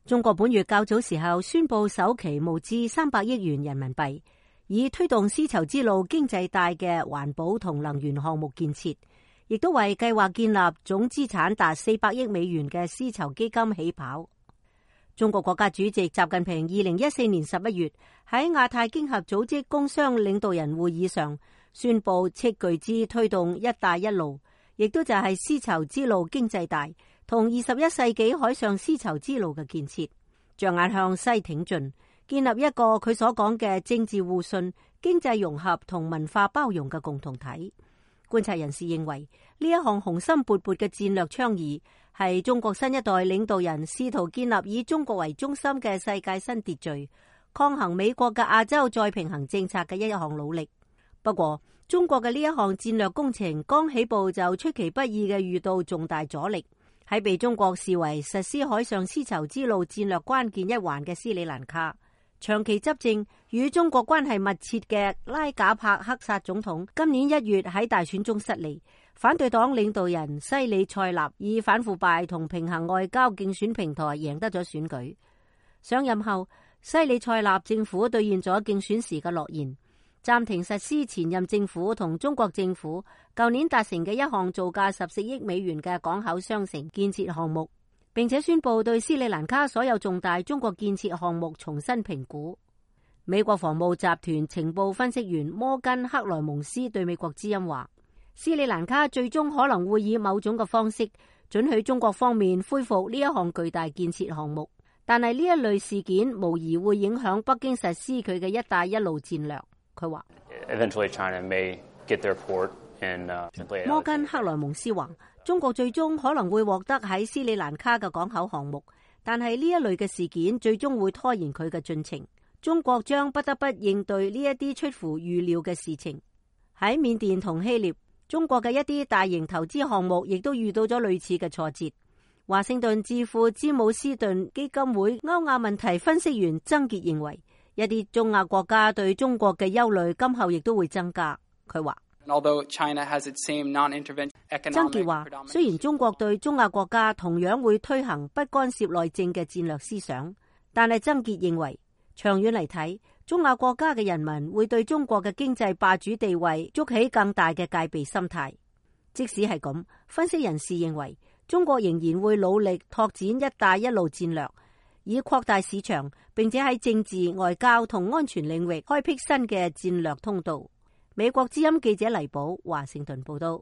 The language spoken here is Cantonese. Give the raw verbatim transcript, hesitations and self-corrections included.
中國本月較早時候宣布首期募資三百億元人民幣，以推動絲綢之路經濟帶嘅環保同能源項目建設，亦都為計劃建立總資產達四百億美元嘅絲綢基金起跑。中國國家主席習近平二零一四年十一月喺亞太經合組織工商領導人會議上宣布斥巨資推動一帶一路，亦都就係絲綢之路經濟帶同二十一世紀海上絲綢之路嘅建設，着眼向西挺進，建立一個佢所講嘅政治互信、經濟融合同文化包容嘅共同體。觀察人士認為，呢一項雄心勃勃嘅戰略倡議係中國新一代領導人試圖建立以中國為中心嘅世界新秩序，抗衡美國嘅亞洲再平衡政策嘅一項努力。不過，中國嘅呢一項戰略工程剛起步就出其不意嘅遇到重大阻力。喺被中國視為實施海上絲綢之路戰略關鍵一環嘅斯里蘭卡，長期執政與中國關係密切嘅拉賈帕克薩總統今年一月喺大選中失利，反對黨領導人西里塞納以反腐敗同平衡外交競選平台贏得咗選舉。上任後，西里塞納政府兌現咗競選時嘅諾言，暫停實施前任政府同中國政府舊年達成嘅一項造價十四億美元嘅港口商城建設項目，並且宣布對斯里蘭卡所有重大中國建設項目重新評估。美國防務集團情報分析員摩根克萊蒙斯對美國之音話，斯里蘭卡最終可能會以某種嘅方式准許中國方面恢復呢一項巨大建設項目，但係呢一類事件無疑會影響北京實施佢嘅一帶一路戰略。佢話摩根克萊蒙斯話，中國最終可能會獲得喺斯里蘭卡嘅港口項目，但係呢一類嘅事件最終會拖延佢嘅進程。中國將不得不應對呢一啲出乎預料嘅事情。喺緬甸同希臘，中國嘅一啲大型投資項目亦都遇到咗類似嘅挫折。華盛頓智庫詹姆斯頓基金會歐亞問題分析員曾傑認為，一啲中亞國家對中國嘅憂慮今後亦都會增加。佢話，曾傑話，雖然中國對中亞國家同樣會推行不干涉內政嘅戰略思想，但係曾傑認為長遠嚟睇，中亞國家嘅人民會對中國嘅經濟霸主地位築起更大嘅戒備心態。即使係咁，分析人士認為中國仍然會努力拓展一帶一路戰略，以擴大市場，並且喺政治、外交同安全領域開闢新嘅戰略通道。美國之音記者黎寶華盛頓報道。